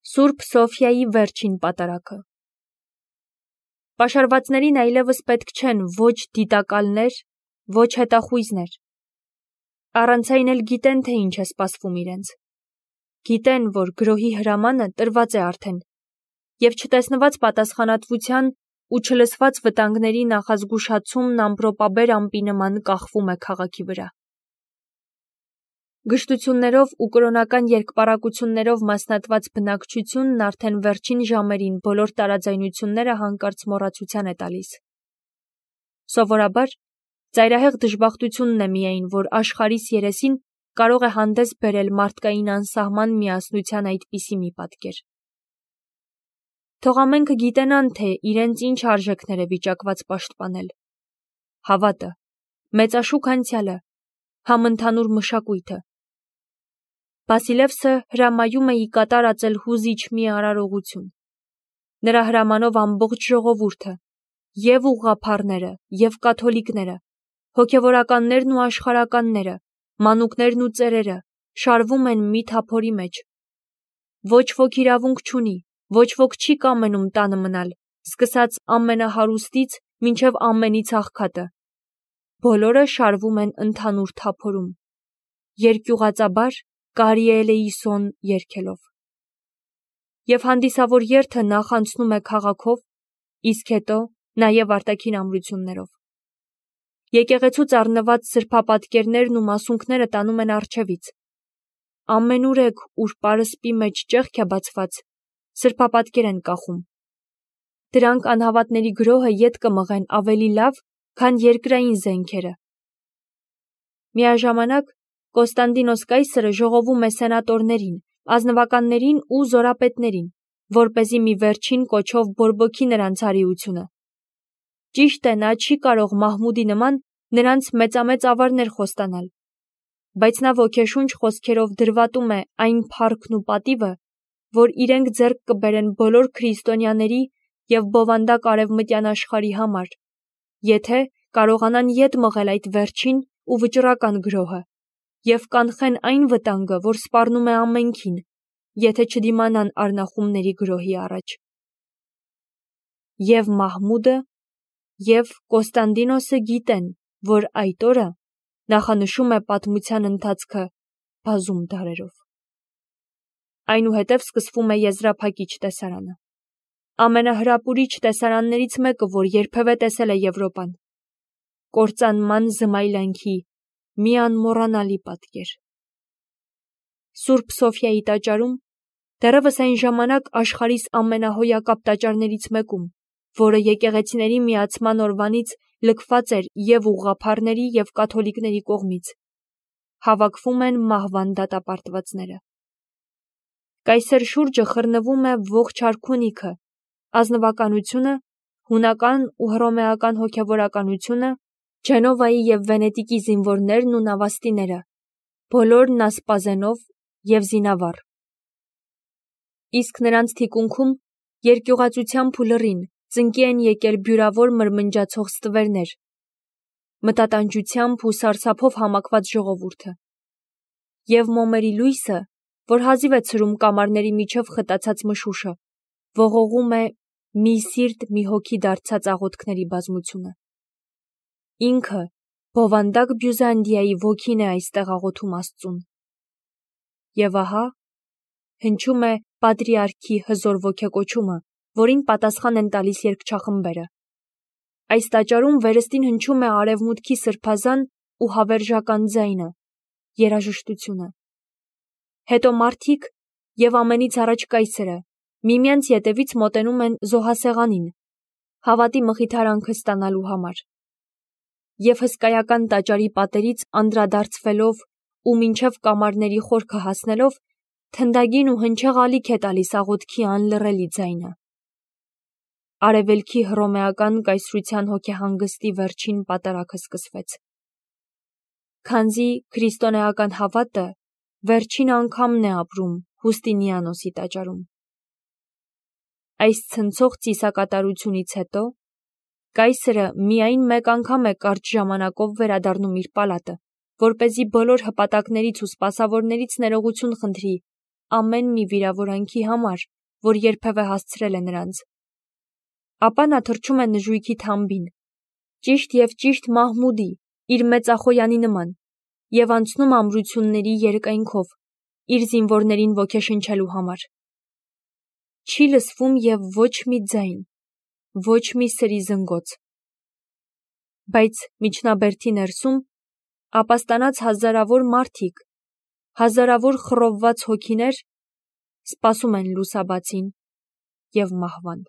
Սուրբ Սոֆիայի վերջին պատարագը։ Պաշարվածներին այլևս պետք չեն ոչ դիտակալներ, ոչ հետախույզներ։ Առանց այն էլ գիտեն, թե ինչ է սպասվում իրենց։ Գիտեն, որ գրոհի հրամանը տրված է արդեն, և չտեսնված պատասխանատվության ու չլսված վտանգների նախազգուշացումն ամպրոպաբեր ամպի նման կախվում է քաղաքի վրա։ Գժտություններով ու կրոնական երկպառակություններով մասնատված բնակչությունն արդեն վերջին ժամերին բոլոր տարաձայնությունները հանկարծ մոռացության է տալիս։ Սովորաբար, ծայրահեղ դժբախտությունն է միայն, որ աշխարհիս երեսին կարող է հանդես բերել մարդկային անսահման միասնության այդպիսի մի պատկեր։ Թող ամենքը գիտենան, թե իրենց ինչ արժեքներ է վիճակված պաշտպանել։ Հավատը, մեծաշուք անցյալը, համընդհանուր մշակույթը։ Բասիլևսը հրամայում է ի կատար ածել հուզիչ մի արարողություն։ Նրա հրամանով ամբողջ ժողովուրդը, և ուղղափառները, և կաթոլիկները, հոգևորականներն ու աշխարհականները, մանուկներն ու ծերերը շարվում են մի թափորի մեջ։ Ոչ ոք իրավունք չունի, ոչ ոք չի կամենում տանը մնալ, սկսած ամենահարուստից մինչև ամենից աղքատը։ Բոլորը շարվում են ընդհանուր թափորում, երկյուղածաբար Կարիելեիսոն երգելով։ Եվ հանդիսավոր երթը նախ անցնում է քաղաքով, իսկ հետո նաև արտաքին ամրություններով։ Եկեղեցուց առնված սրբապատկերներն ու մասունքները տանում են առջևից։ Ամենուրեք, ուր պարսպի մեջ ճեղք է բացված, սրբապատկեր են կախում։ Դրանք անհավատների գրոհը ետ կմղեն ավելի լավ, քան երկրային զենքերը։ Միաժամանակ Կոստանդինոս կայսրը ժողովում է սենատորներին, ազնվականներին ու զորապետներին, որպեսզի մի վերջին կոչով բորբոքի նրանց արիությունը։ Ճիշտ է, նա չի կարող Մահմուդի նման նրանց մեծամեծ ավարներ խոստանալ, բայց նա ոգեշունչ խոսքերով դրվատում է այն փառքն ու պատիվը, որ իրենք ձեռք կբերեն բոլոր քրիստոնյաների և բովանդակ արևմտյան աշխարհի համար, եթե կարողանան ետ մղել այդ վերջին ու վճռական գրոհը և կանխեն այն վտանգը, որ սպառնում է ամենքին, եթե չդիմանան արնախումների գրոհի առաջ։ Եվ Մահմուդը, և Կոստանդինոսը գիտեն, որ այդ օրը նախանշում է պատմության ընթացքը բազում դարերով։ Այնուհետև սկսվում է եզրափակիչ տեսարանը։ Ամենահրապուրիչ տեսարաններից մեկը, որ երբևէ տեսել է Եվրոպան։ Կործանման զմայլանքի մի անմոռանալի պատկեր։ Սուրբ Սոֆիայի տաճարում, դեռևս այն ժամանակ աշխարհիս ամենահոյակապ տաճարներից մեկում, որը եկեղեցիների միացման օրվանից լքված էր և ուղղափառների և կաթոլիկների կողմից, հավաքվում են մահվան դատապարտվածները։ Կայսեր շուրջը խռնվում է ողջ արքունիքը, ազնվականությունը, հունական ու հռոմեական հոգևորականությունը, Ջենովայի և Վենետիկի զինվորներն ու նավաստիները, բոլորն ասպազենով և զինավառ։ Իսկ նրանց թիկունքում երկյուղածությամբ ու լռին ծնկի են եկել բյուրավոր մրմնջացող ստվերներ, մտատանջությամբ ու սարսափով համակված ժողովուրդը։ Եվ մոմերի լույսը, որ հազիվ է ցրում կամարների միջև խտացած մշուշը, ողողում է մի սիրտ մի հոգի դարձած աղոթքների բազմությունը։ Ինքը բովանդակ Բյուզանդիայի ոգին է այստեղ աղոթում Աստծուն։ Եվ ահա հնչում է պատրիարքի հզոր ոգեկոչումը, որին պատասխան են տալիս երգչախմբերը։ Այս տաճարում վերստին հնչում է արևմուտքի սրբազան ու հավերժական ձայնը, երաժշտությունը։ Հետո մարդիկ և ամենից առաջ կայսրը միմյանց ետևից մոտենում են զոհասեղանին, հավատի մխիթարանքը ստանալու համար։ Եվ հսկայական տաճարի պատերից անդրադարձվելով ու մինչև կամարների խորքը հասնելով, թնդագին ու հնչեղ ալիք է տալիս աղոթքի անլռելի ձայնը։ Արևելքի հռոմեական կայսրության հոգեհանգստի վերջին պատարագը սկսվեց։ Քանզի քրիստոնեական հավատը վերջին անգամն է ապրում Հուստինիանոսի տաճարում։ Այս ցնցող ծիսակատարությունից հետո կայսրը միայն մեկ անգամ է կարճ ժամանակով վերադառնում իր պալատը, որպեսզի բոլոր հպատակներից ու սպասավորներից ներողություն խնդրի ամեն մի վիրավորանքի համար, որ երբևէ հասցրել է նրանց։ Ապա նա թռչում է նժույգի թամբին, ճիշտ և ճիշտ Մահմուդի, իր մեծախոյանի նման, և անցնում ամրությունների երկայնքով, իր զինվորներին ոգեշնչելու համար։ Չի լսվում և ոչ մի ձայն, ոչ մի սրի զնգոց։ Բայց միջնաբերդի ներսում ապաստանած հազարավոր մարդիկ, հազարավոր խռովված հոգիներ սպասում են լուսաբացին և մահվան։